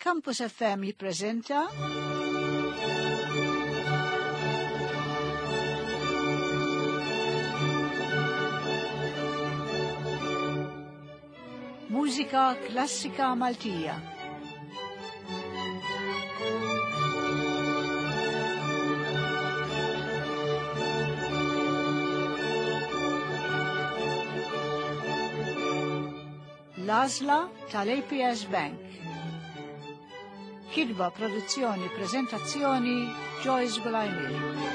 Campus FM jippreżenta Mużika Klassika Maltija. L-għażla tal-APS Bank. Kitba, produzzjoni, prezentazzjoni Joyce Gulajmir.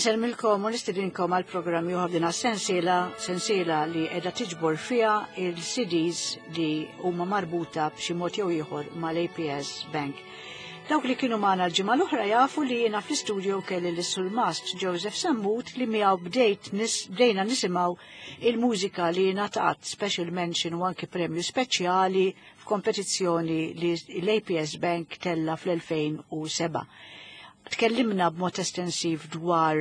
Insellmilkom u nistedinkom għal programm ieħor din sensiela sensiela li qiegħda tiġbor fiha il-CDs li huma marbuta b'xi mod jew ieħor mal-APS Bank. Dawk li kienu magħna l-ġimgħa l-oħra jafu li jiena fl-istudio kelli lis surmast Joseph Sammut li miegħu bdejt bdejna nisimgħu il-mużika li ngħatat special mention u anki premju speċjali f'kompetizzjoni li l-APS Bank tella fl-2007. Tkellimna b'mod estensiv dwar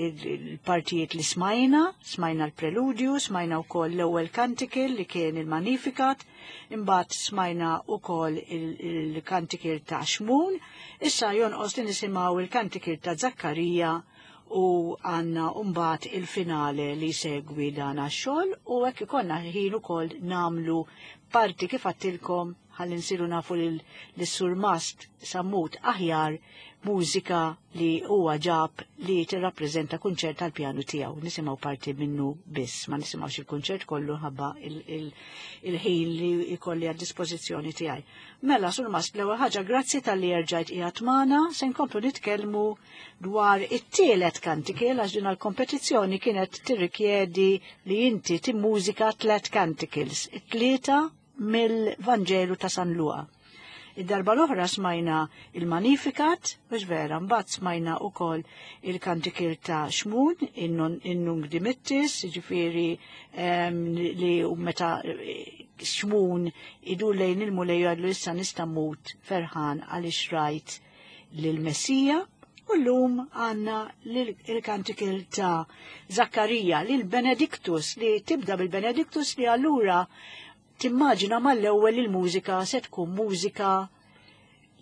il-partijiet li smajna, smajna l-preludju, smajna wkoll l-ewwel kantikil li kien il-Magnificat, imbagħad smajna wkoll il-kantikil ta' Xmun, issa jonqos li nisimgħu il-kantikil ta' Zakkarija u għanna mbagħad il-finale li segwi dan għax-xogħol u hekk ikollna ħin ukoll namlu parti kif għattilkom ħalli nsiru nafu lis-surmast Sammut aħjar mużika li huwa ġab li tirrappreżenta kunċert tal-pjanu tiegħu. Nisimgħu parti minnu biss, ma nisimgħux il-kunċert kollu ħabba il-ħin li jkolli għad dispożizzjoni tiegħi. Mela, surmast, l-ewwel ħaġa grazzi talli erġajt qiegħed magħna, se nkomplu nitkellmu dwar it-tielet kantikil għax din l-kompetizzjoni kienet tirrikjedi li inti timmużika tliet canticles, it-tlieta mill-Vanġelu ta' San Luqa. Id-darba l-oħra smajna il-Magnificat, mhux vera, mbagħad smajna wkoll il-kantikil ta' Xmun, in-Nung Dimittis, jiġifieri li meta eh, Xmun idur lejn il-Mulej jgħidlu issa nista' mmut ferħan għaliex rajt lill-Messija. U llum għandna il-kantikil ta' Zakkarija, lil Benedictus, li tibda bil-Benedictus li allura timmaġina mal-ewwel il-mużika se tkun mużika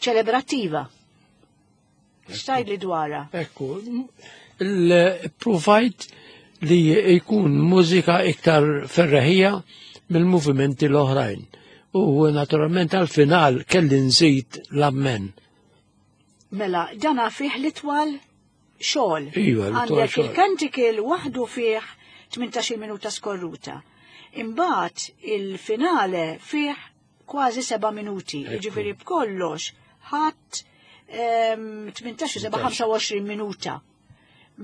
ċelebrattiva. X'tajd li dwarha? Ekku, il-provajt li jkun mużika iktar ferreħija mill-movimenti l-oħrajn. U naturalment għal-final kelli nżid l-ammen. Mela, dana fih l-itwal xogħol. Iva, Għandek il-kantikil waħdu fih 18 minuta skorruta. Imbagħad il-finale fih kważi 7 minuti. Jiġifieri b'kollox ħadd 18 7 25 minuta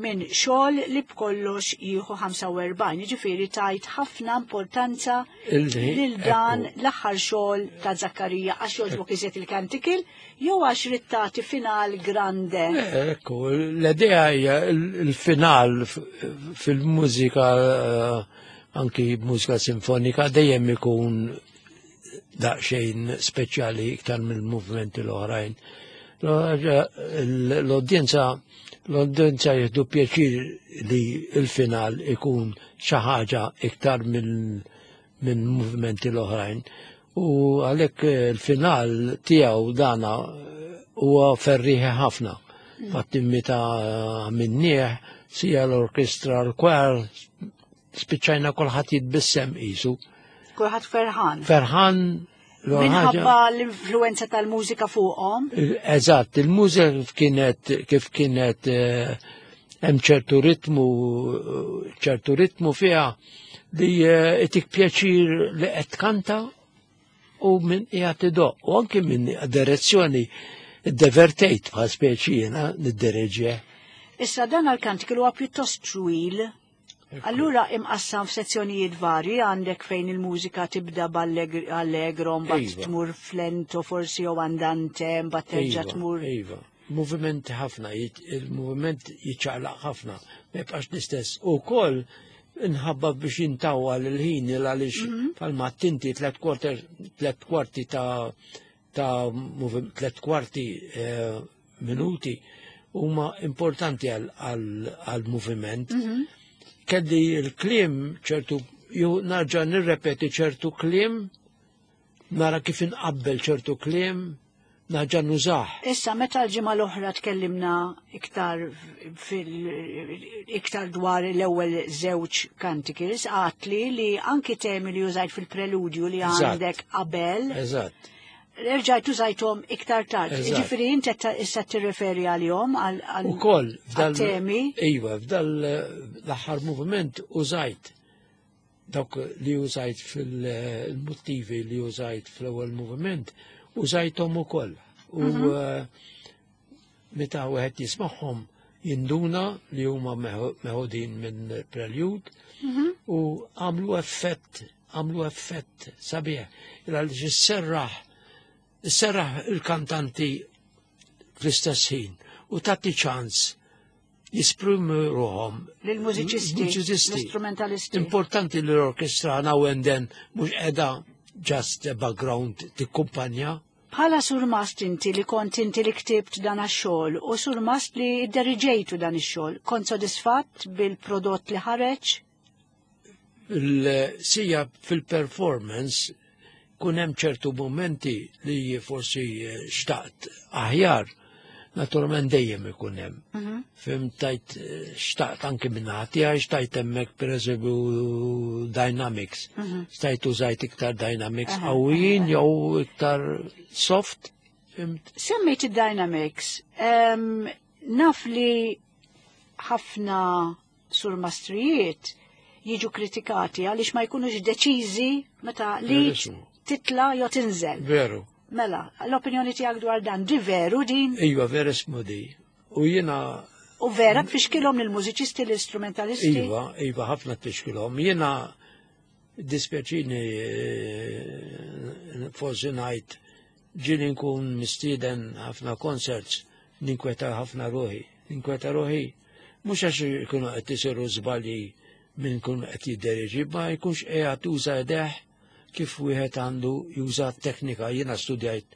minn xogħol li b'kollox jieħu 45, jiġifieri tajt ħafna importanza lil dan l-aħħar xogħol ta' Zakkarija għax jogħġbok iżjed il-kantikil jew għax rid tagħti final grande. Ekku, l-idea hija il-final fil-mużika eh, anki mużika sinfonika dejjem ikun daqsxejn speċjali iktar mill-movimenti l-oħrajn. L-udjenza l-udjenza jieħdu pjaċir li il-final ikun xi ħaġa iktar minn minn movimenti l-oħrajn. U għalhekk il-final tiegħu dana huwa ferriħi ħafna. Fatti meta minnieh sija l-orkestra l-kwar spiċċajna kulħadd jitbissem qisu. Kulħadd ferħan. Ferħan Minħabba l-influenza tal-mużika fuqhom. Eżatt, il-mużika kif kienet kif kienet eh, hemm ċertu ritmu ċertu ritmu fiha li eh, itik pjaċir li qed tkanta u minn qiegħed idoq u anki minn direzzjoni divertejt bħal speċi jiena niddereġie. Issa dan għal-kantikel huwa pjuttost twil Allura imqassam f'sezzjonijiet varji għandek fejn il-mużika tibda b'allegro, mbagħad iva. tmur flento forsi jew andante, mbagħad terġa' iva, tmur. Iva, moviment ħafna, il-moviment jiċċaqlaq ħafna, ma jibqax l-istess. U koll nħabba biex jintawwa l-ħin għaliex mhm. palma tinti tlet kwarti ta' ta' 3/4 minuti huma importanti għal-moviment. Kelli l-kliem ċertu, ju narġa' nirrepeti ċertu kliem, nara kif inqabbel ċertu kliem, narġa' nużah. Issa, meta l-ġimgħa l-oħra tkellimna iktar iktar dwar l-ewwel żewġ canticles, għatli li anki temi li użajt fil-preludju li għandek qabel. Erġajt użajthom iktar tard. Ġifieri inti issa tirreferi għalihom għal Ukoll f'dal temi. Iva, f'dal l-aħħar moviment użajt dawk li użajt fil-motivi li użajt fl-ewwel moviment, użajthom ukoll. U meta wieħed jismagħhom jinduna li huma meħudin minn prelude u għamlu effett, għamlu effett sabiħ. Għaliex isserraħ il-kantanti fl-istess ħin u tagħti ċans jesprimu ruħhom. Lill-mużiċisti, Mużiċisti. l-istrumentalisti. Importanti li l-orkestra now and then mhux qiegħda just a background tikkumpanja. Bħala surmast inti li kont inti li ktibt dan ix-xogħol u surmast li idderiġejtu dan ix-xogħol, kont sodisfatt bil-prodott li ħareġ? Sija fil-performance kun hemm ċertu momenti li forsi xtaqt aħjar, naturalment dejjem ikun hemm. Fhimt tajt xtaqt anki minn ħati, xtajt hemmhekk pereżempju dynamics. Xtajt użajt iktar dynamics qawwijin jew iktar soft. Fhimt? Semmejt id-dynamics. Naf li ħafna surmastrijiet jiġu kritikati għaliex ma jkunux deċiżi meta li titla jew tinżel. Veru. Mela, l-opinjoni tiegħek dwar dan, di veru din? Iva, vera smodi. U jiena U vera tfixkilhom lill-mużiċisti, l-istrumentalisti? Iva, iva, ħafna tfixkilhom. Jiena dispjaċini forsi ngħid ġieli nkun mistieden ħafna concerts, ninkweta ħafna ruħi. Ninkweta ruħi, mhux għax ikunu qed isiru żbalji minn kun qed jidderieġi, ma jkunx qiegħed tuża idejh kif wieħed għandu juża teknika. Jiena studjajt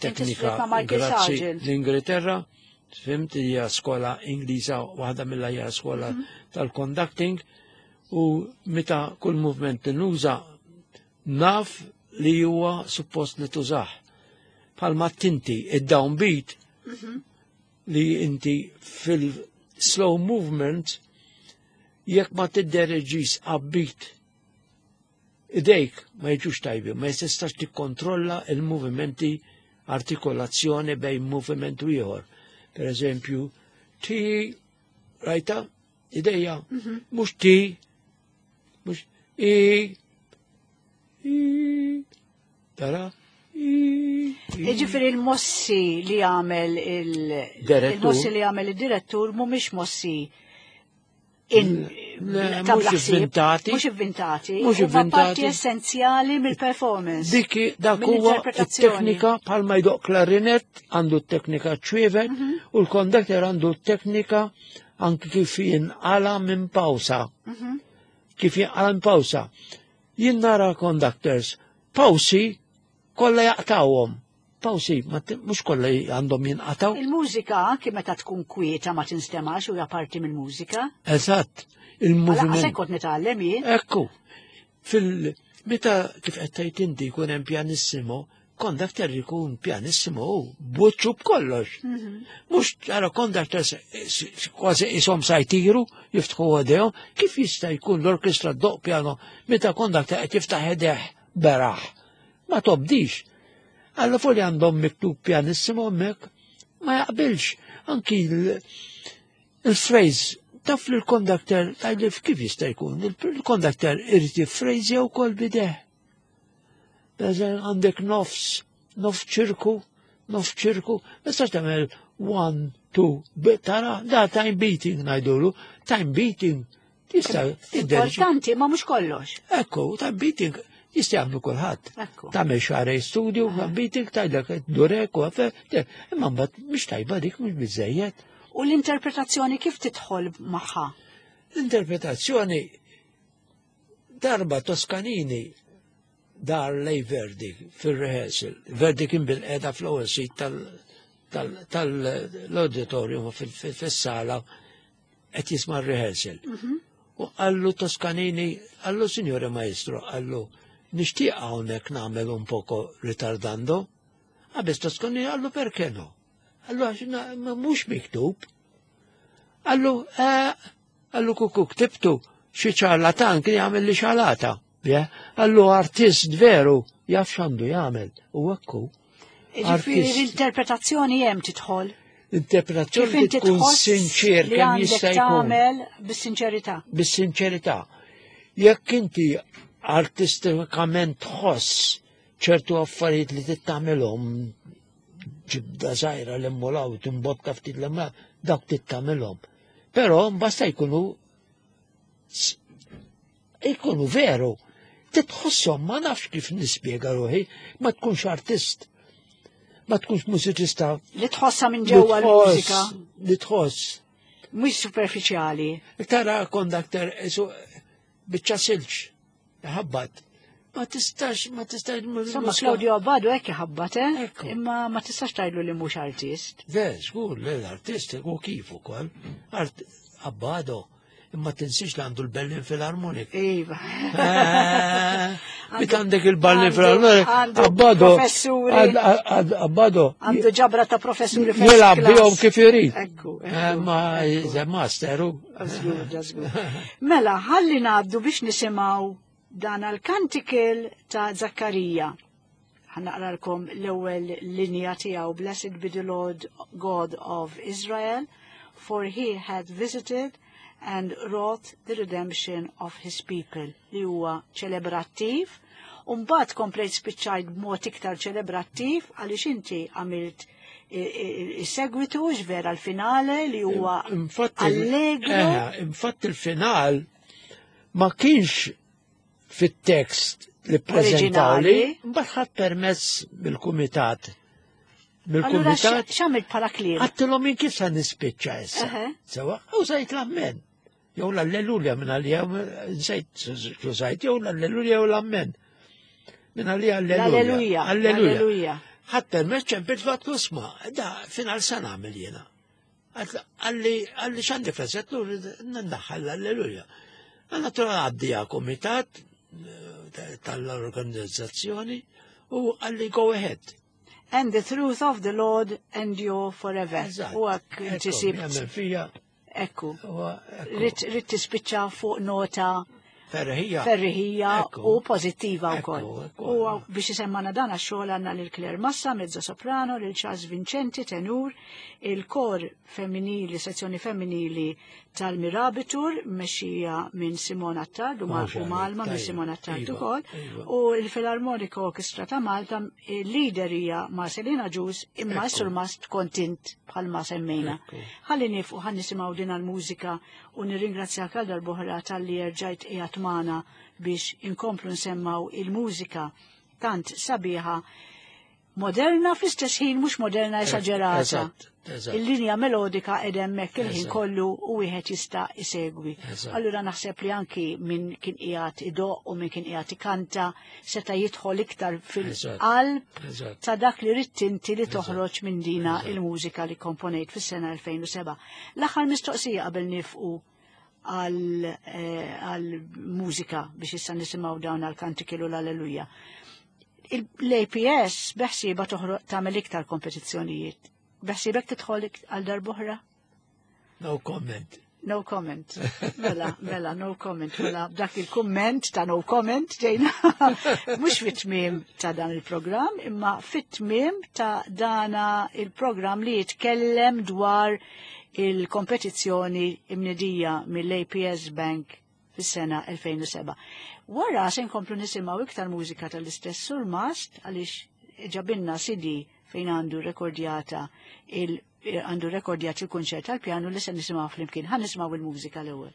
teknika studjajt ma' Michael grazzi Sargent. l-Ingilterra, fhimt, hija skola Ingliża, waħda mill-aħjar skola tal-conducting, u meta kull movement nuża naf li huwa suppost li tużah. Palma tinti id-downbeat li inti fil-slow movement jekk ma tiddereġis upbeat idejk ma jiġux tajbi, ma jistax tikkontrolla il-movimenti, artikolazzjoni bejn moviment u ieħor. Per eżempju, ti rajta idejja, mhux ti, mhux i, i, tara, i, i. Jiġifieri il-mossi li għamel Direttur. il-mossi li għamel il-direttur mhumiex mossi in Le, ta' mhux blaħsib, ivvintati. Mhux ivvintati. Mhux Huma parti ivvintati. essenzjali mill-performance. Diki dak huwa Mill-interpretazzjoni. it-teknika bħalma jdoq klarinet għandu t-teknika ċwievet u l-konduktor għandu t-teknika anki kif jinqala minn pawsa. Kif jinqala minn pawsa. Jien nara conductors, pawsi kollha jaqtawhom. Pawsi, mhux kollha għandhom jinqataw. Il-mużika anki meta tkun kwieta ma tinstemax u hija parti mill-mużika. Eżatt, Għala il-moviment. qasek kont nitgħallem jien. Ekku, meta kif qed tgħid inti jkun hemm pianissimo, conductor jkun pianissimo u buċċu b'kollox. Mhux tara conductor kważi ishom sa jtiru, jiftħu għadejhom, kif jista' jkun l-orkestra ddoq piano meta conductor qed jiftaħ idejh beraħ. Ma tobdix. Alla fuq li għandhom miktub pianissimo hemmhekk ma jaqbilx. Anki il-phrase, taf li l-kondakter, tajli kif jista' jkun, il-kondakter irid jiffrejżja wkoll bideh. Beżen għandek nofs, nofs ċirku, nofs ċirku, ma tistax tagħmel 1, 2, tara, da time beating ngħidulu, time beating. Tista' tidderġi. Importanti, ma mhux kollox. Ekku, time beating jista' jagħmlu kulħadd. Ekku. Tagħmel xarej studio, time beating, tgħidlek durek u għafe, imma mbagħad mhix tajba dik, mhux biżejjed. U l-interpretazzjoni kif tidħol magħha? L-interpretazzjoni darba Toscanini Dar lej Verdi fil-rehearsal. Verdi kien bil-qeda fl-ewwel sit tal-auditorium fis-sala qed jisma' r-rehearsal. Mhm. U qallu Toscanini, qallu Signore Maestro, qallu nixtieq hawnhekk nagħmel un poco ritardando. Għabes Toscanini qallu perché no? Qallu għax mhux miktub. Qallu, eh, qallu kuku ktibtu xi ċarlatan kien jagħmel li xalata. Qallu artist veru jaf x'għandu jagħmel u hekk Ġifieri l-interpretazzjoni hemm tidħol. Interpretazzjoni tkun sinċir kemm jista' jkun. Tagħmel bis-sinċerità. Bis-sinċerità. Jekk inti artistikament tħoss ċertu affarijiet li tittamilhom ġibda żgħira l immolaw timbotta ftit l dak tittamilhom. Però basta jkunu jkunu veru. Titħosshom ma nafx kif nispjega ruħi, ma tkunx artist. Ma tkunx mużiċista. Li tħossha minn ġewwa l-mużika. Li tħoss. Mhux superfiċjali. Tara kondakter biċċa silġ, ħabbat. Ma tistax, ma tistax. Insomma, Claudio Abbado hekk iħabbat, eh? Imma ma tistax tgħidlu li mhux artist. Le, żgur, le l-artist u kif ukoll. Abbado imma tinsiex li għandu l-Berlin Philharmonic. Iva. Eh, Bit għandek il-Berlin Philharmonic, Abbado. Abbado. Għandu ġabra ta' professuri. Jilab bihom kif irid. Ekku. Eh, ma masteru. Mela, ħalli ngħaddu biex nisimgħu dan għal-kantikil ta' Zakkarija. Ħanaqralkom l-ewwel linja tiegħu Blessed be the Lord God of Israel, for he had visited and wrought the redemption of his people li huwa ċelebrattiv. Umbagħad komplejt spiċċajt b'mod iktar ċelebrattiv għaliex inti għamilt is-segwitu vera l-finale li huwa allegro. Eh, infatti il-final ma kienx fit-tekst li prezentawli, mbagħad ħadd permess mill-kumitat. Mill-kumitat. X'għamilt bħala kliem? Għattilhom minn kif se nispiċċa issa. Sewa, u sajt l-ammen. Jew l-alleluja minn għalija, nsejt sajt, jew l-alleluja jew l-ammen. Minn għalija alleluja. Alleluja. Ħadd permess ċempil fatt kusma, da final sa nagħmel jiena. Għalli għalli x'għandi frażetlu ndaħħal l-alleluja. Għanna tura għaddija komitat eh, tal-organizzazzjoni u għalli go ahead. And the truth of the Lord endure forever. U għak inti sibt. Ekku. Rid tispiċċa fuq nota Ferriħija. Ferriħija u pozittiva wkoll. U biex isemmana dan għax-xogħol għandna lil Claire Massa, mezzo soprano, lil Charles Vincenti, tenur, il-kor femminili, sezzjoni femminili tal-Mirabitur, mexxija minn Simona Attard u Malma minn Simona Attard iva, ukoll, iva. u l-Filarmonika Orchestra ta' Malta, il-leader hija Marcelina Ġus, imma s-surmast kontint bħalma semmejna. Ħalli nifqu ħan nisimgħu din għall-mużika u nirringrazzjak għal darb'oħra talli erġajt qiegħed magħna biex inkomplu nsemmaw il-mużika tant sabiħa moderna fl-istess ħin mhux moderna esaġerata. Il-linja melodika qed hemmhekk il-ħin kollu u wieħed jista' isegwi. Allura naħseb li anki min kien qiegħed idoq u min kien qiegħed ikanta seta' jidħol iktar fil-qalb ta' dak li ridt inti li toħroġ minn dina il-mużika li komponejt fis-sena 2007. L-aħħar mistoqsija qabel nifqu għal-mużika eh, biex issa nisimgħu dawn għal-kantikilu l-Alleluja. L-APS beħsieba toħroq tagħmel iktar kompetizzjonijiet. Beħsiebek tidħol għal darb'oħra? No comment. No comment. Mela, mela, no comment. Mela, dak il-komment ta' no comment ġejna. Mux fit-tmim ta' dan il-program, imma fit-tmim ta' dana il-program li jitkellem dwar il-kompetizzjoni imnedija mill-APS Bank fis-sena 2007. Wara se nkomplu nisimgħu iktar mużika tal-istess surmast għaliex ġabinna CD fejn għandu rekordjata il għandu rekordjat il-kunċert tal-pjanu li se nisimgħu flimkien. Ħa nisimgħu il-mużika l-ewwel.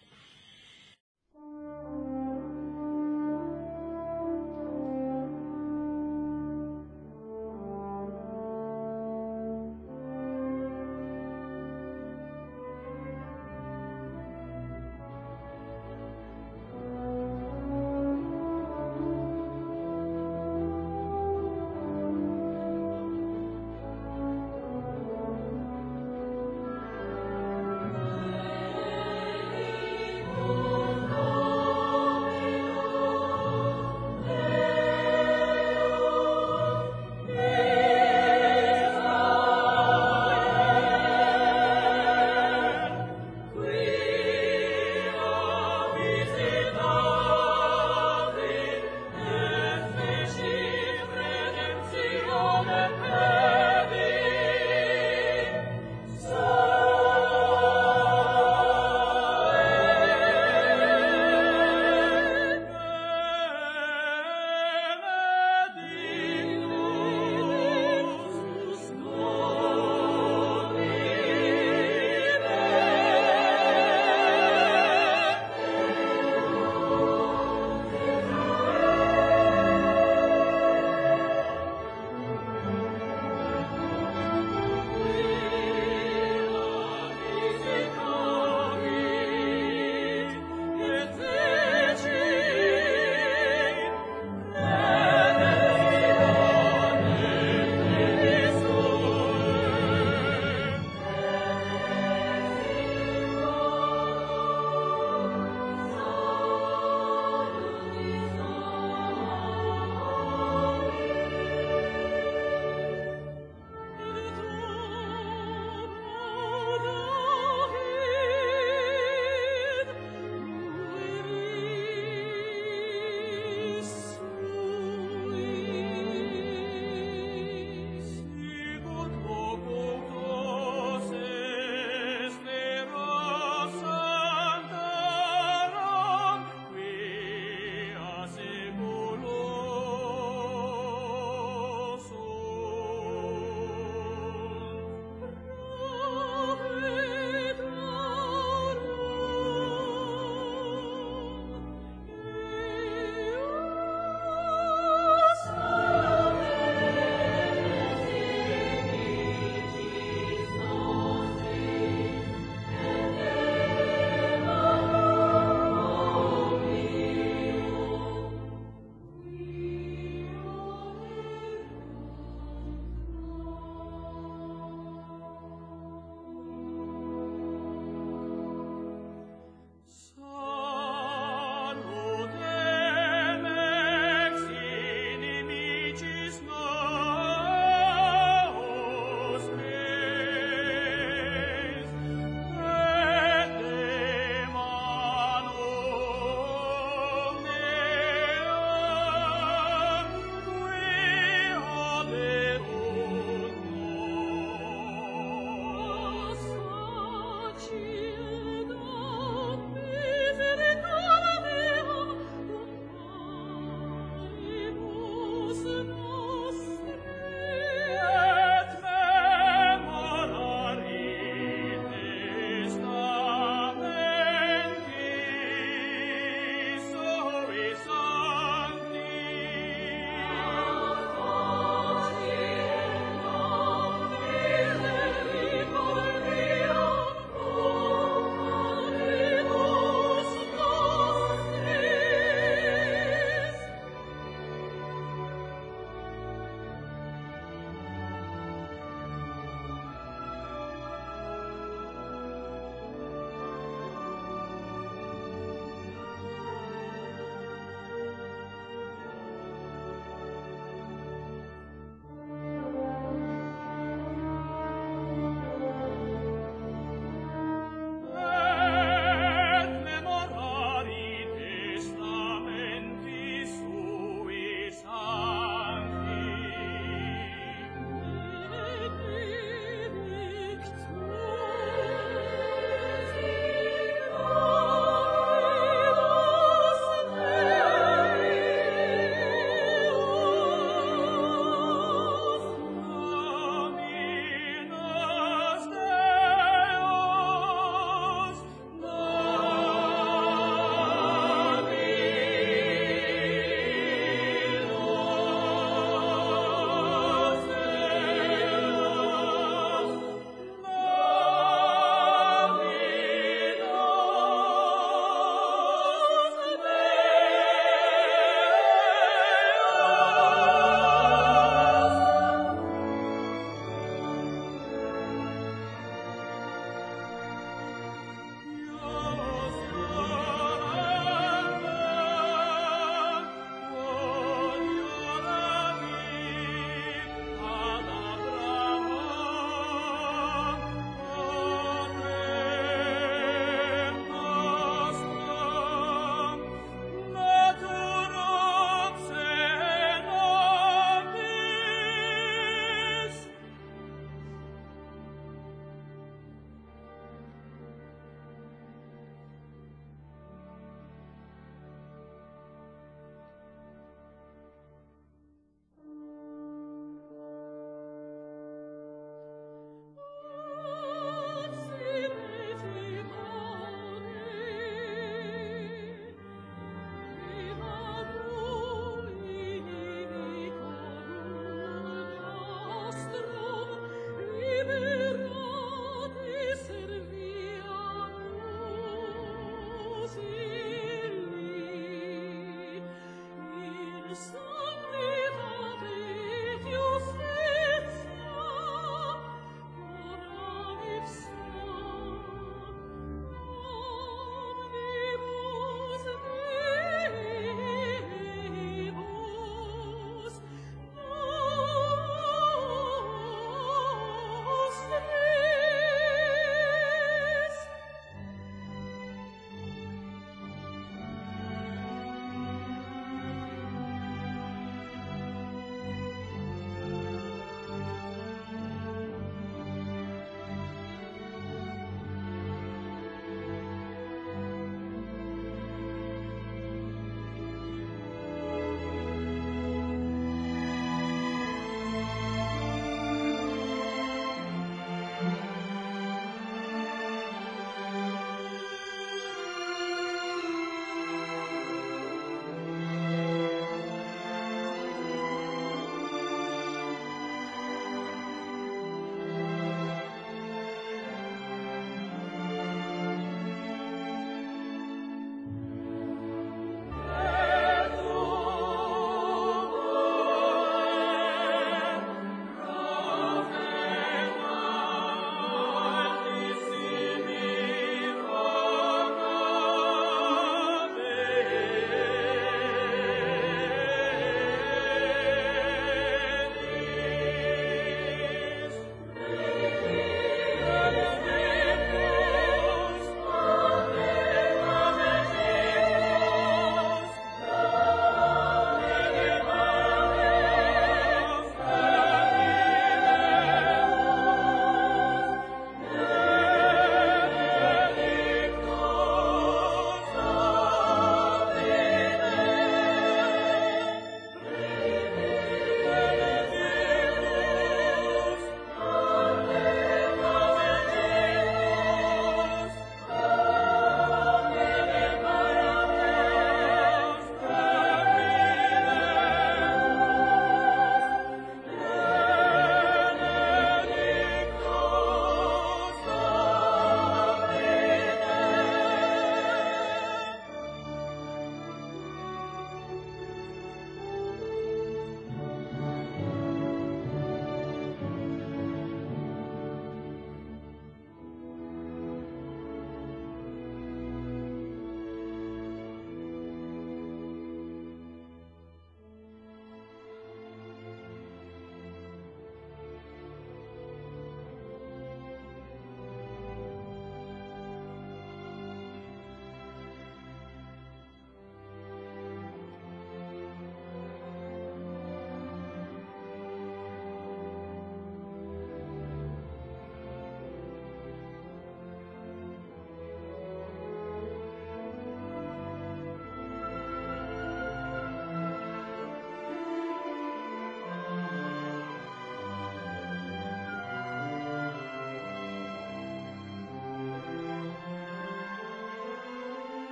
Omnibus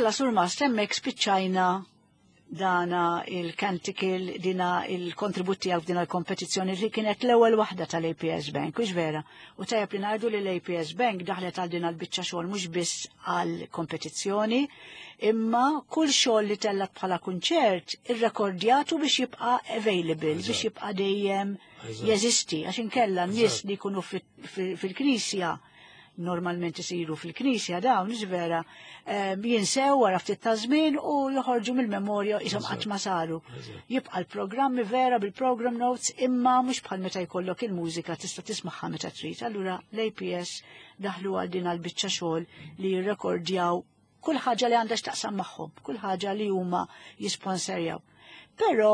Mela sur Mast, hemmhekk spiċċajna dana il-canticle, dina il-kontribut tiegħek f'dina l-kompetizzjoni li kienet l-ewwel waħda tal-APS Bank, hux vera? U tajjeb li ngħidu li l-APS Bank daħlet għal din l-biċċa xogħol mhux biss għal kompetizzjoni, imma kull xogħol li tellat bħala kunċert irrekordjatu biex jibqa' available, biex jibqa' dejjem jeżisti, għax inkella n-nies li jkunu fil-knisja Normalment isiru fil-knisja dawn, vera, jinsew wara ftit ta' żmien u joħorġu mill-memorja isom qatt ma saru. Jibqa' l-programmi vera bil-program notes imma mhux bħal meta jkollok il-mużika tista' tismagħha meta trid. Allura l-APS daħlu għal din għall-biċċa xogħol li jirrekordjaw kull ħaġa li għandha x'taqsam magħhom, kull ħaġa li huma jisponserjaw. Però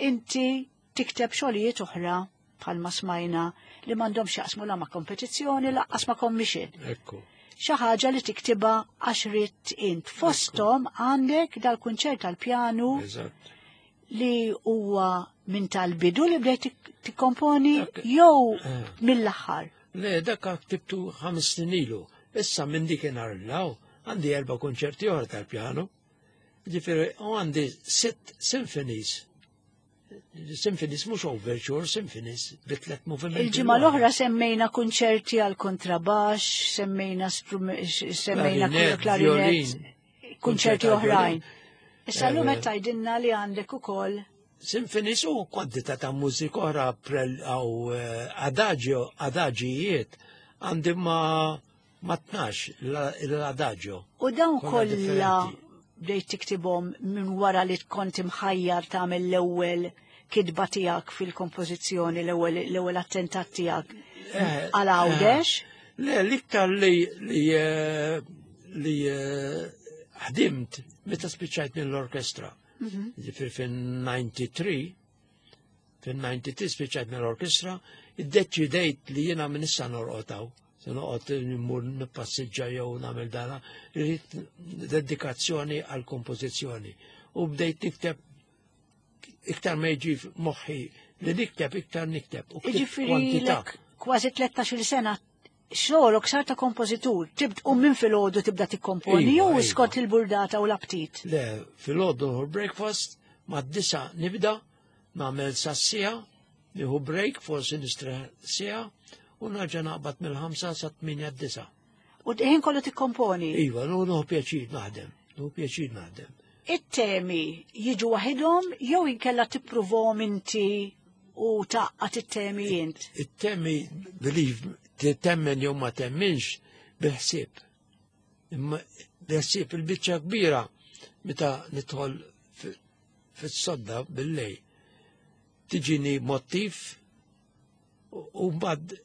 inti tikteb xogħlijiet oħra bħalma smajna li m'għandhomx jaqsmu la ma' kompetizzjoni laqqas ma' commission. Ekku. Xi ħaġa li tiktibha għax ridt int. Fosthom għandek dal-kunċert tal-pjanu li huwa minn tal-bidu li bdejt tikkomponi jew eh. mill-aħħar. Le, dak ktibtu ħames snin ilu. Issa minn dik law għandi erba' kunċerti oħra tal-pjanu. Ġifieri u għandi sitt symphonies Symphonies mhux overture, symphonies bi tliet movimenti. Il-ġimgħa l-oħra semmejna kunċerti għal kontrabax, semmejna semmejna klarinet, kunċerti oħrajn. Issa llum qed tgħidilna li għandek ukoll Symphonies u kwantità ta' mużika oħra għaw eh, adagio, adaġijiet għandi ma ma tnax l-adagio. U dawn kollha bdejt tiktibhom minn wara li kont imħajjar tagħmel l-ewwel kitba tiegħek fil-kompożizzjoni, l-ewwel attentat tiegħek eh, għal Għawdex? Eh, le, l-iktar li li eh, li ħdimt meta spiċċajt mill-orkestra. Mhm. Ġifier fin-93 fin-93 spiċċajt mill-orkestra, iddeċidejt li jiena minn issa norqotaw. Se noqgħod immur nippassiġġa jew nagħmel dana, irrid dedikazzjoni għal kompożizzjoni. U bdejt nikteb iktar ma jiġi moħħi li nikteb iktar nikteb. U Jiġifieri kważi 13-il sena xogħolok sar ta' kompożitur, tibd u minn filgħodu tibda tikkomponi iva, jew iva. skont il-burdata u l-aptit. Le, filgħodu breakfast ma' disa nibda nagħmel sassija, nieħu break forsi nistrieħ siegħa u nerġa' naqbad mill-ħamsa sa tminja d-disa. U ħin kollu tikkomponi? Iva, nieħu pjaċir naħdem, nieħu pjaċir naħdem. It-temi jiġu waħidhom jew inkella tippruvhom inti u taqqat it-temi int? It-temi, believe, temmen jew ma temminx bil-ħsieb. Imma bil-ħsieb il-biċċa kbira meta nidħol fis-sodda bil-lej. Tiġini motiv u mbagħad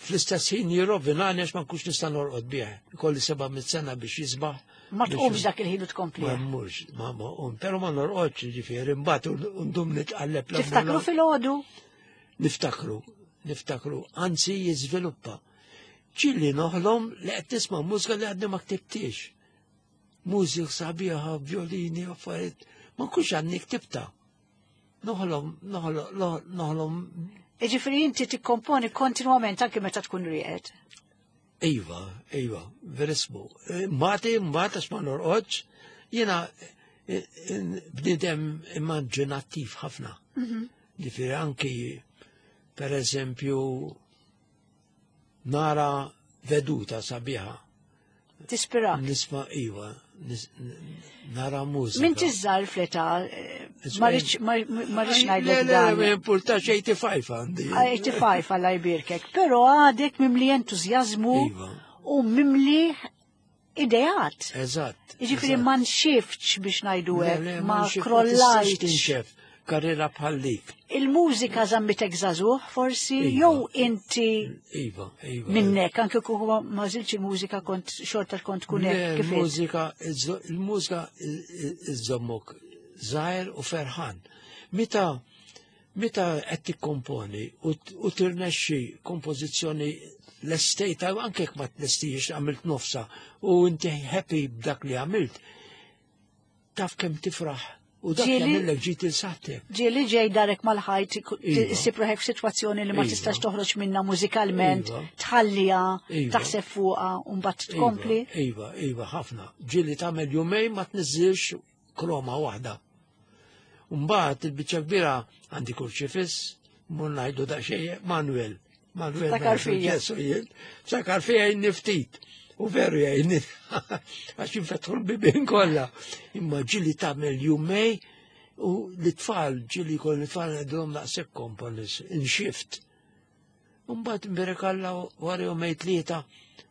fl-istess ħin jirrovinani għax ma nkunx nista' norqod bih. Ikolli seba' mit sena biex jisbaħ. Ma tqumx dak il-ħin u tkompli. Ma mmurx, ma ma um, però ma norqodx ġifieri mbagħad ndum nitqalleb. Tiftakru fil-għodu? Niftakru, niftakru, anzi jiżviluppa. Ġieli noħlom li qed tisma' mużika li għadni ma ktibtix. Mużik sabiħa, violini, affarijiet, ma nkunx għadni ktibta. Noħlom, noħlom, noħlom. Iġifieri inti tikkomponi kontinwament anke meta tkun rieqed. Iva, iva, verismu. Mbagħad mbagħad għax ma norqodx, jiena eh, eh, bniedem immaġinattiv ħafna. Mhm. Ġifieri anki per eżempju nara veduta sabiħa. Tispira. Nisma iwa, nara mużika. Min tiżżar fleta, eh, marriċ ngħidlek dan. Le, importax 85 għandi. 85 għalla jbirkek, pero għadek mimli entużjażmu iva. u mimli ideat. Eżatt. Jiġifieri ma nxiftx biex ngħidu hekk, ma krollajtx. Karriera bħal dik. Il-mużika żammitek żagħżugħ forsi iva. jew inti Iva, iva. Minnek, anke kieku ma żilx il-mużika kont xorta kont tkun hekk kif. Il-mużika il-mużika iżommok żgħir u ferħan. Meta Meta qed tikkomponi u tirnexxi kompożizzjoni lestejta, anke jekk ma tlestijiex għamilt nofsa u inti happy b'dak li għamilt, taf kemm tifraħ u dak jagħmillek ġid il saħtek. Ġieli ġej darek mal-ħajt iva. issib ruħek f'sitwazzjoni li ma iva. tistax toħroġ minna mużikalment, iva. tħallija, taħseb fuqha u mbagħad tkompli. Iva, iva, ħafna. Ġieli tagħmel jumejn ma tniżżilx kroma waħda. Mbagħad il-biċċa kbira għandi kurċifiss, mur ngħidu daqsxejn Manuel. Manuel. Sakar fija. Sakar fija jgħinni ftit. U veru jgħinni għax jinfetħu l-bibien kollha. Imma ġili tagħmel jumej u l-tfal ġili kol l-tfal għedhom naqsek komponis in shift. Mbagħad imbierek Alla wara jumejn tlieta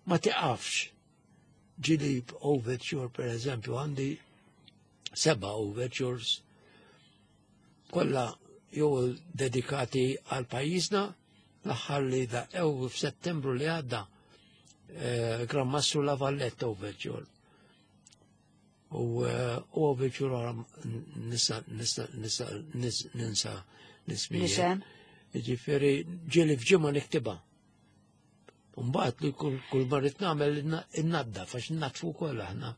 ma tiqafx. Ġili overture per eżempju għandi seba' overtures kollha jew dedikati għal pajjiżna l-aħħar li daqqew f'Settembru li għadda eh, Gran Mastru La Valletta overture. U eh, overture oħra nista nista nista ninsa nismijiet. Ġifieri ġieli f'ġimgħa niktibha. Mbagħad li kull ma rrid nagħmel innaddaf għax innadfu wkoll aħna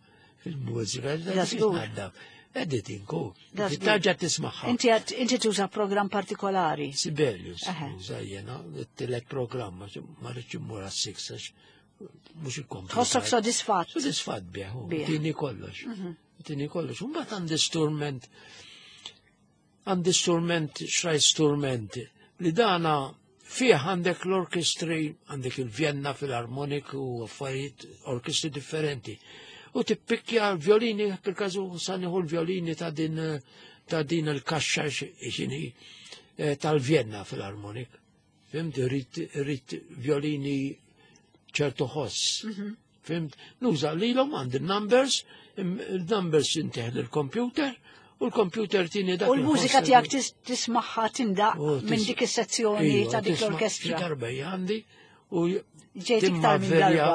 fil-mużika, naddaf. Editing ku. Tarġa tismaħħa. Inti inti tuża programm partikolari. Sibelius, uża jiena, t-tielet programm, ma rridx immur għas-six għax mhux ikkompli. Tħossok sodisfatt. Sodisfatt bih, tini kollox. Mhm. Tini kollox. Mbagħad għandi strument Għandi strument, xrajt strument, li dana fih għandek l-orkestri, għandek il-Vienna Philharmonic u affarijiet orkestri differenti. U tippikkja l-violini, per kazu saniħu l-violini ta' din ta' din il-kaxxa xini eh, tal-Vienna Philharmonic. Fimt, rrit violini ċertu ħoss. Mhm. Fimt? Nuża lilhom għandi numbers, il-numbers inteħ il-computer u l-computer tini dak. U l-mużika tiegħek tismagħha tindaq minn dik is-sezzjoni iva, ta' dik l-orkestra. Darba għandi u ġejt iktar minn darba.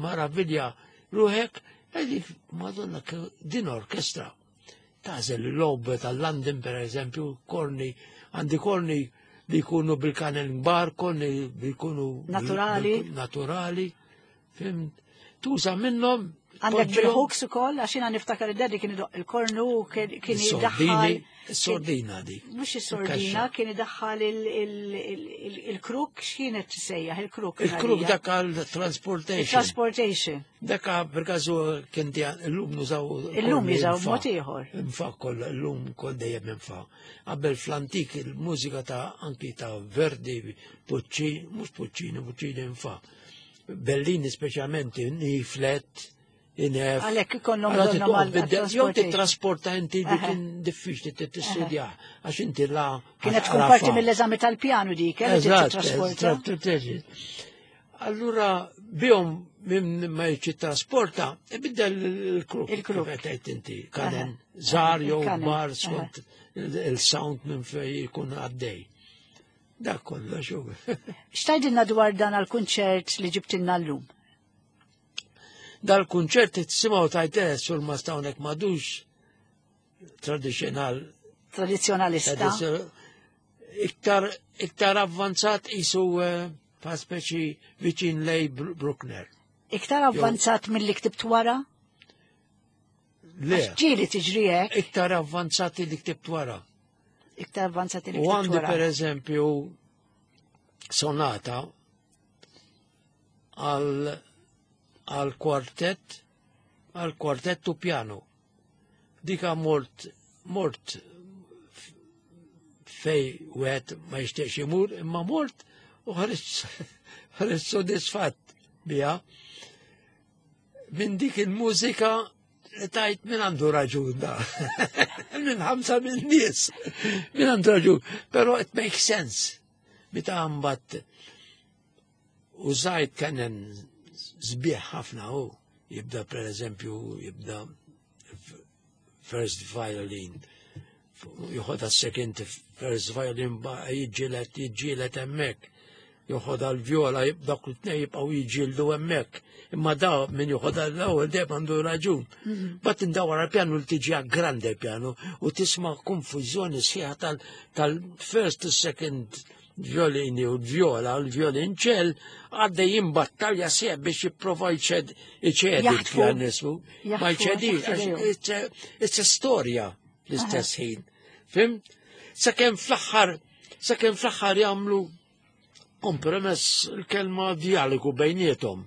Maravilja ruħek, għedik, madonna, din orkestra. Tażel l-lob tal-London, per eżempju, korni, għandi korni li jkunu bil-kanel kbar, korni li jkunu naturali. Naturali. Fimt? Tuża minnhom. Għandek bil-hooks ukoll, għax jiena niftakar id-daddy kien idoq il-kornu kien idaħħal. Sordina dik. Mhux is-sordina, kien idaħħal il-kruk, x'kienet tisejjaħ il-kruk. Il-kruk dak għal transportation. Transportation. Dak per każu kien illum nużaw. Illum jużaw mod ieħor. Infa koll illum kol dejjem infa. Qabel fl-antik il-mużika ta' anki ta' Verdi, Puccini, mhux Puccini, Puccini infa. Bellini speċjalment in E flat, in F. Għalhekk ikollhom bżonnhom għal Jew titrasporta inti li kien diffiċli tistudja għax inti la. Kienet tkun parti mill-eżami tal-pjanu dik, eh, titrasporta. Allura bihom minn ma jiġi trasporta, ibiddel il-kruk. Il-kruk. Qed inti kanen żgħar jew kbar skont il-sound minn fejn jkun għaddej. Dak kollox hu. X'tgħidilna dwar dan għall-kunċert li ġibtilna llum? Dal-kunċert tisimgħu tajt eh, sur ma stawnek madux tradixjonal. Tradizjonalista. Iktar, iktar avvanzat isu eh, pa speċi viċin lej Bruckner. Iktar avvanzat mill-li ktibt wara? Le. Ġieli tiġri hekk. Iktar avvanzat li ktibt wara. Iktar avvanzati li U għandi per eżempju sonata għal għal kwartett għal kwartett u piano. Dika mort mort fej wieħed ma jixtieqx imur, imma mort u ħares sodisfatt biha. Minn dik il-mużika li tajt minn għandu raġun da. minn ħamsa minn nies. Minn għandu raġun. Pero it makes sense. Meta għambat użajt kenen zbieħ ħafna u jibda per eżempju jibda first violin joħodha second first violin jiġġieled jiġġieled hemmhekk joħodha l-vjola dak l-tnej jibqgħu jiġġieldu hemmhekk. Imma da min joħodha l-ewwel dejjem għandu raġun. Mhm. Bat indawar għal-pjanu li tiġi grande pjanu u tisma' konfużjoni sħiħa tal-first second violini u l-vjola u l-violinċell għaddejjin battalja sieħ biex jipprova jċed iċedi l-pjanismu. Ma jċedi, it's a storja l-istess ħin. Fim? Sakemm fl-aħħar, sakemm fl-aħħar jagħmlu kompromess il-kelma dialogu bejniethom.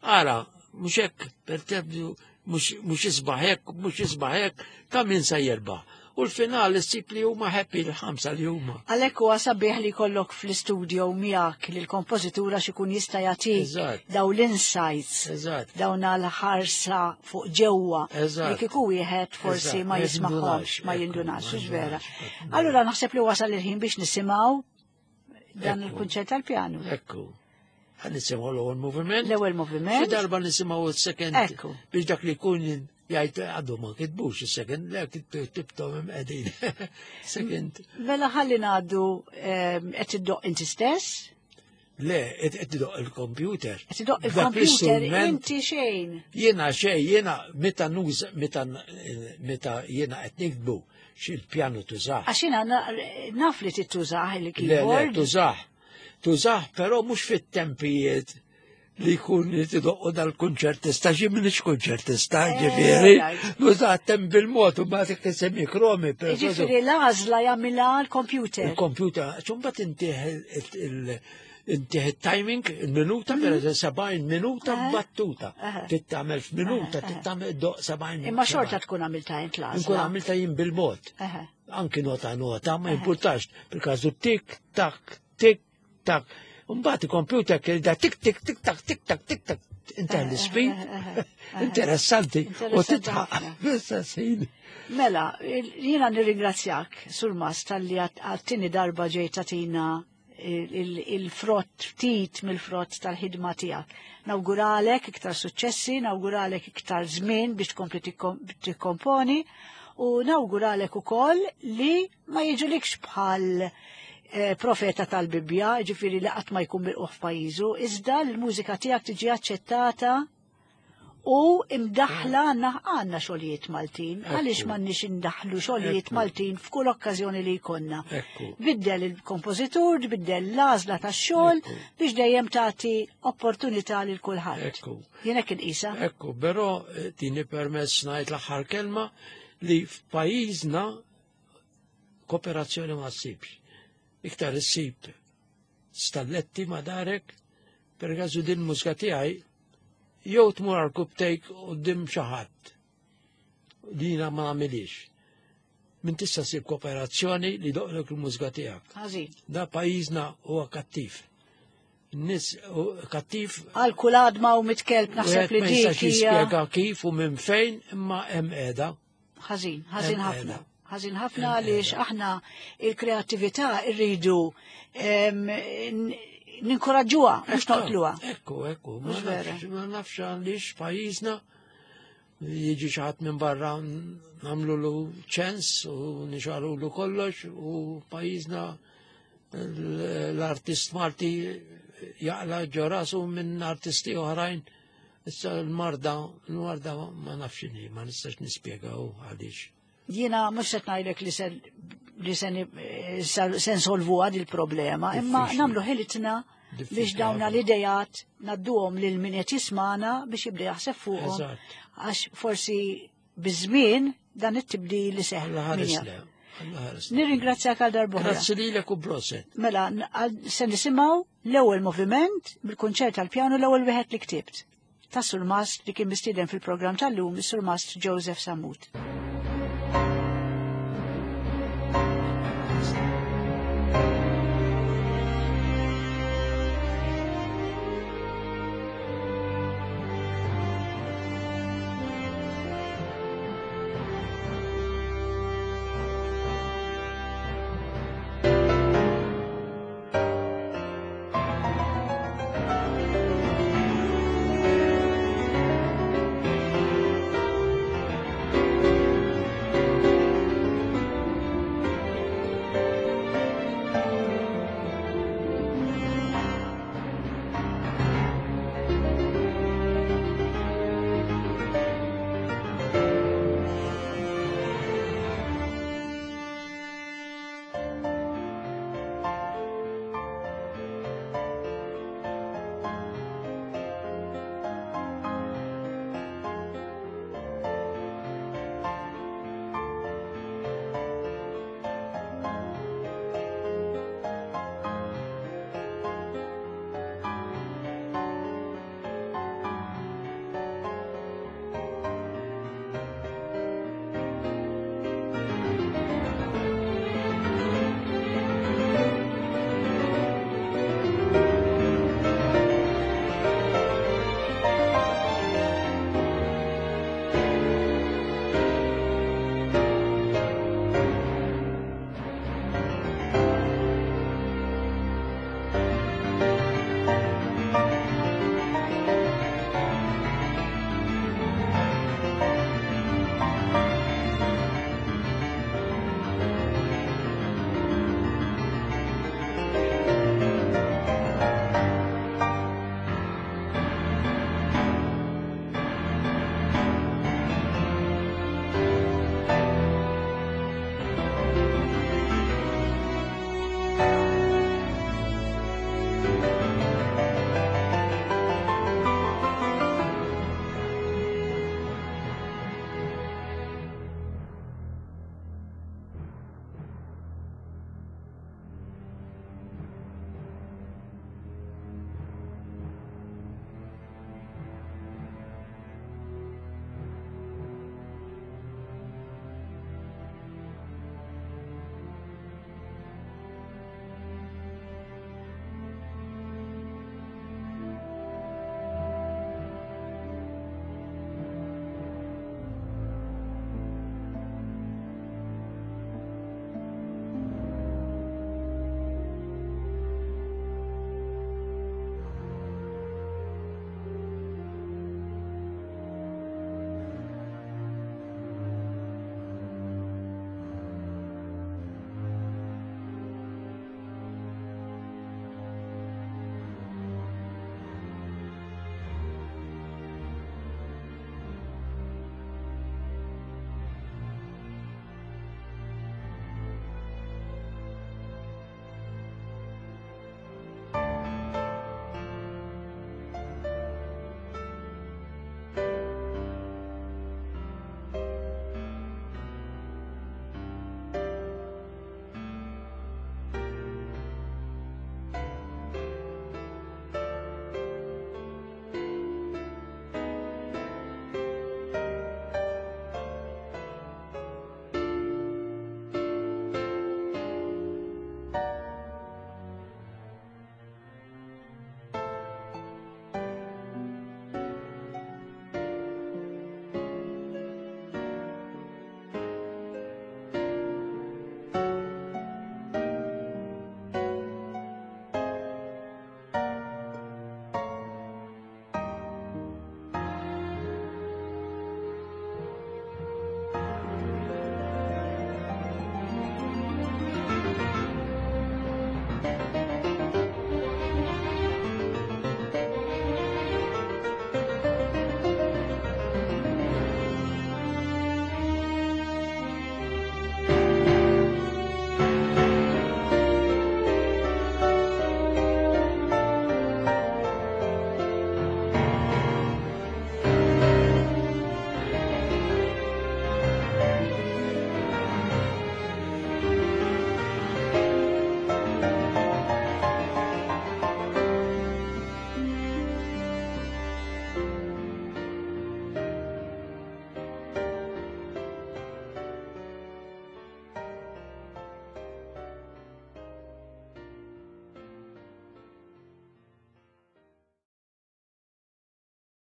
Ara, mhux hekk per tebdu mhux isbaħ hekk, mhux isbaħ hekk, ta' min se jirbaħ. U l-final issib li huma happy l-ħamsa li huma. Għalhekk huwa sabiħ li jkollok fl-istudio miegħek li l-kompożitura x'ikun jista' jagħtik daw l-insights, dawn l-ħarsa fuq ġewwa li kieku wieħed forsi ma jismagħhomx, ma jindunax, vera. Allura naħseb li wasal il-ħin biex nisimgħu. dan il-kunċert tal-pjanu. Ekku. Ħa nisimgħu l-ewwel moviment. L-ewwel moviment. Xi darba nisimgħu s-second. Ekku. Biex dak li jkun jgħid għadu ma kitbux is-second, le kitibtom qegħdin. Second. Mela ħalli ngħaddu qed iddoq inti stess. Le, qed idoq il-computer. Qed idoq il-computer inti xejn. Jiena xejn, jiena meta nuż meta meta jiena qed niktbu xil-pjanu tużah. Għax jiena naf li tittużah il-keyboard. Le, tużah. Tużah, però mhux fit-tempijiet li jkun li tidoqqu dal-kunċertista, xi minix kunċertista, eh, ġifieri, nużah temp bil-mod u mbagħad isemmi kromi. Ġifieri l-għażla jagħmilha l-computer. Il-computer, ċumbat intih intih il-timing, il-minuta, per eżempju, 70 minuta battuta. Tittamel f'minuta, tittamel doq 70 Imma xorta tkun għamilta int l-għażla. Nkun għamilta jien bil-mod. Anki nota nota, ma jimpurtax, bil-każu tik, tak, tik, tak. Mbagħad il-computer kien da tik tik tik tak tik tak tik tak inta l-speed. Interessanti. U titħaq. Mela, jiena nirringrazzjak sur Mas tal-li għat-tieni darba ġejt tagħtina il-frott ftit mill-frott tal-ħidma tiegħek. Nawguralek iktar suċċessi, nawguralek iktar żmien biex tkompli tikkomponi u nawguralek ukoll li ma jiġulikx bħal eh, profeta tal-Bibbja, ġifieri li qatt ma jkun milquh f'pajjiżu, iżda l-mużika tiegħek tiġi aċċettata u imdaħla għanna għanna xogħlijiet Maltin, għaliex m'għandniex indaħlu xogħlijiet Maltin f'kull okkażjoni li jkollna. Biddel il-kompożitur, biddel l-għażla tax-xogħol biex dejjem tagħti opportunità lil kulħadd. Jien hekk inqisha. Ekku, però eh, tini permess ngħid l-aħħar kelma li f'pajjiżna kooperazzjoni ma ssibx. Iktar issib stalletti ma darek, per gazu din mużika tiegħi jew tmur għal kubtejk quddiem xi ħadd. Dina ma nagħmilix. Min tista' ssib kooperazzjoni li doqlok il-mużika tiegħek. Da pajjiżna huwa kattiv. Nis kattiv. Għal kull għadma u mitkelb naħseb li dik. Jispjega kif u minn fejn imma hemm qiegħda. Ħażin, ħażin ħafna. Ħażin ħafna għaliex aħna il-kreattività rridu ninkoraġġuha mhux noqtluha. Ekku, ekku, ma nafx għaliex pajjiżna jiġi xi ħadd minn barra nagħmlu ċens u nixarulu kollox u pajjiżna l-artist Malti jaqla ġorasu minn artisti oħrajn. Issa l-marda, l-marda ma nafx inhi, ma nistax nispjegaw għaliex. Jiena mhux qed ngħidlek li se li se nsolvu għad il-problema, imma nagħmlu ħilitna biex dawna l-idejat nadduhom lil min qed jismana biex jibda jaħseb fuqhom. Għax forsi biż-żmien dan it-tibdil li seħ. Nirringrazzjak għal darbohra. Grazzi lilek u proset. Mela, se nisimgħu l-ewwel moviment mill-kunċert tal-pjanu l-ewwel wieħed li ktibt. Ta' Surmast li kien mistieden fil-programm tal-lum, is-Surmast Joseph Sammut.